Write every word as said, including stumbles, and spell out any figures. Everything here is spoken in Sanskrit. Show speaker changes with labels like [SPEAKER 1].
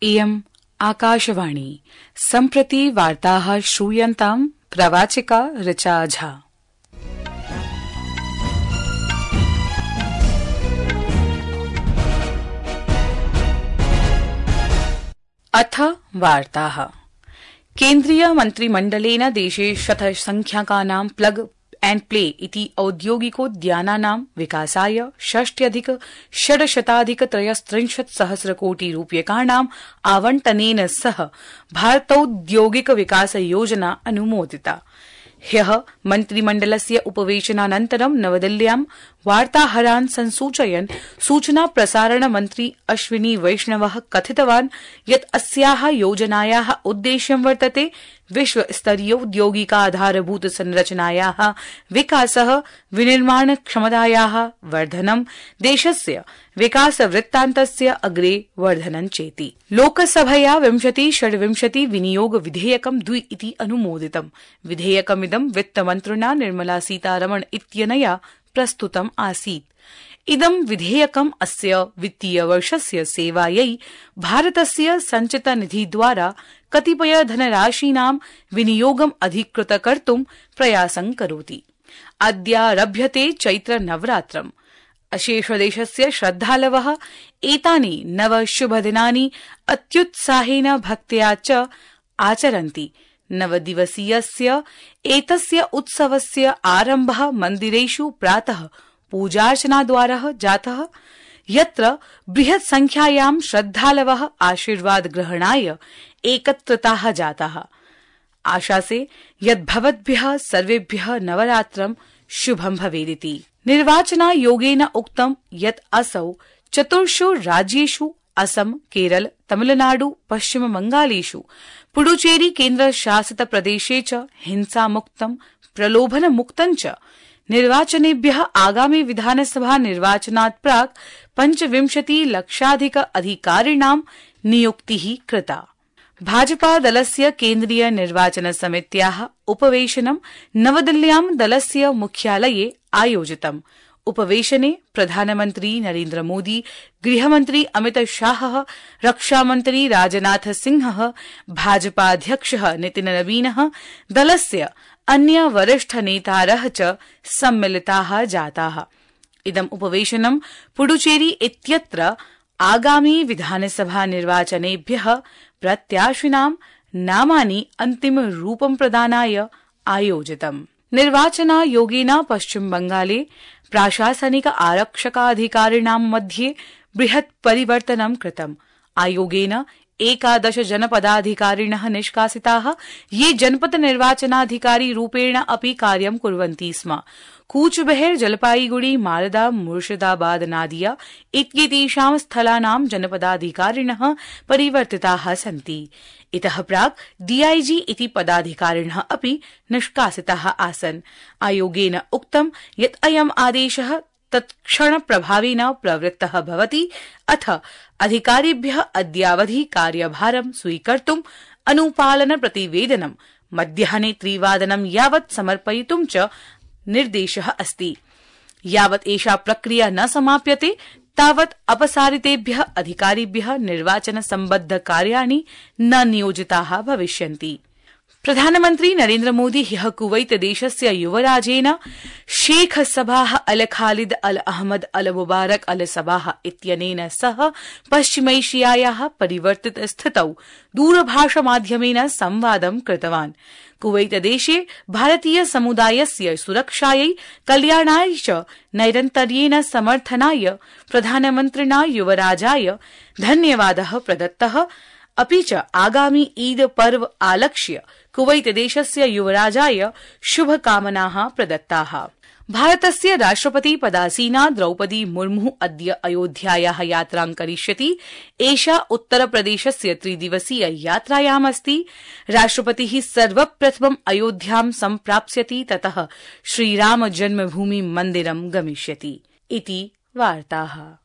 [SPEAKER 1] इयम् आकाशवाणी। सम्प्रति वार्ताः श्रूयन्ताम्। प्रवाचिका ऋचा झा। अथ वार्ताः। केन्द्रीय मन्त्रिमण्डलेन देशे शतसंख्याकानां प्लग एण्ड प्ले इति औद्योगिकोद्यानानां विकासाय षष्ट्यधिक षड्शताधिक त्रयस्त्रिंशत् सहस्रकोटि रूप्यकाणां आवंटनेन सह भारतौद्योगिक विकास योजना अनुमोदिता। ह्यः मन्त्रिमण्डलस्य उपवेशनानन्तरं नवदिल्ल्यां वार्ताहरान् संसूचयन् सूचना प्रसारण मन्त्री अश्विनी वैष्णवः कथितवान् यत् अस्याः योजनायाः उद्देश्यं वर्तते विश्वस्तरीयोद्योगिकाधारभूत संरचनायाः विकासः, विनिर्माण क्षमतायाः वर्धनं, देशस्य विकासवृत्तान्तस्य अग्रे वर्धनं चेति। लोकसभया विंशति षड्विंशति विनियोग विधेयकं द्वि इति अनुमोदितम्। विधेयकमिदं वित्तमन्त्रिणा निर्मला सीतारमण इत्यनया प्रस्तुतम् आसीत्। इदं विधेयकम् अस्य वित्तीयवर्षस्य सेवायै भारतस्य सञ्चितनिधिद्वारा कतिपय धनराशीनां विनियोगम् अधिकृत कर्तुं प्रयासं करोति। अद्यारभ्यते चैत्र नवरात्रम्। अशेषदेशस्य श्रद्धालवः एतानि नव शुभदिनानि अत्युत्साहेन भक्त्या च आचरन्ति। नवदिवसीयस्य एतस्य उत्सवस्य आरम्भः मन्दिरेषु प्रातः पूजार्चनाद्वारा जातः, यत्र बृहत् संख्यायां श्रद्धालवः आशीर्वाद ग्रहणाय एकत्रिताः जाताः। आशासे यत् भवद्भ्यः सर्वेभ्यः नवरात्रं शुभं भवेदिति। निर्वाचनायोगेन उक्तं यत् असौ चतुर्षु राज्येषु असम, केरल, तमिलनाडु, पश्चिम बंगालेषु पुडुचेरी केन्द्रशासित प्रदेशे च हिंसामुक्तं, प्रलोभनमुक्तं च निर्वाचनेभ्यः आगामि विधानसभा निर्वाचनात् प्राक् पञ्चविंशति लक्षाधिक अधिकारिणां नियुक्तिः कृता। भाजपा दलस्य केन्द्रीय निर्वाचन समित्याः उपवेशनं नवदिल्ल्यां दलस्य मुख्यालये आयोजितम्। उपवेशने प्रधानमन्त्री नरेन्द्र मोदी, गृहमन्त्री अमित शाहः, रक्षामन्त्री राजनाथ सिंहः, भाजपाध्यक्षः नितिन नवीनः, दलस्य अन्य वरिष्ठ नेतारः च सम्मिलिताः जाताः। इदम् उपवेशनं पुडुचेरी इत्यत्र आगामी विधानसभा निर्वाचनेभ्यः प्रत्याशिनां नामानि अन्तिमरूपं प्रदानाय आयोजितम्। निर्वाचनायोगेन पश्चिम बंगाले प्राशासनिक आरक्षकाधिकारिणां मध्ये बृहत् परिवर्तनं कृतम्। आयोगेन एकादश जनपदाधिकारिणः निष्कासिताः, ये जनपद निर्वाचनाधिकारी रूपेण अपि कार्यं कुर्वन्ति स्म। कूचबेहर, जलपाईगुड़ी, मालदा, मुर्शिदाबाद, नादिया इत्येतेषां स्थलानां जनपदाधिकारिणः परिवर्तिताः सन्ति। इतः प्राक् डीआईजी इति पदाधिकारिणः अपि निष्कासिताः आसन्। आयोगेन उक्तं यत् अयम् आदेशः तत्क्षण प्रभावेन प्रवृत्तः भवति, अथ अधिकारिभ्यः अद्यावधि कार्यभारं स्वीकर्तुं अनुपालन प्रतिवेदनं मध्याह्ने त्रिवादनं यावत् समर्पयितुं च निर्देशः अस्ति। यावत् एषा प्रक्रिया न समाप्यते तावत् अपसारितेभ्यः अधिकारिभ्यः निर्वाचन सम्बद्ध कार्याणि न नियोजिताः भविष्यन्ति। प्रधानमन्त्री नरेन्द्र मोदी ह्यः कुवैत देशस्य युवराजेन शेख सबाह अल खालिद अल अहमद अल मुबारक अल सबाह इत्यनेन सह पश्चिमैशियायाः परिवर्तित स्थितौ दूरभाषमाध्यमेन संवादं कृतवान्। कुवैत देशे भारतीय समुदायस्य सुरक्षायै, कल्याणाय च नैरन्तर्येण समर्थनाय प्रधानमन्त्रिणा युवराजाय धन्यवादः प्रदत्तः, अपि च आगामी ईद पर्व आलक्ष्य कुवैत देशस्य युवराजाय शुभकामनाः प्रदत्ताः। भारतस्य राष्ट्रपति पदासीना द्रौपदी मुर्मु अद्य अयोध्यायाः यात्रां करिष्यति। एषा उत्तरप्रदेशस्य त्रिदिवसीय यात्रायामस्ति। राष्ट्रपतिः सर्वप्रथमम् अयोध्यां सम्प्राप्स्यति, ततः श्रीराम जन्मभूमि मन्दिरं गमिष्यति इति वार्ताः।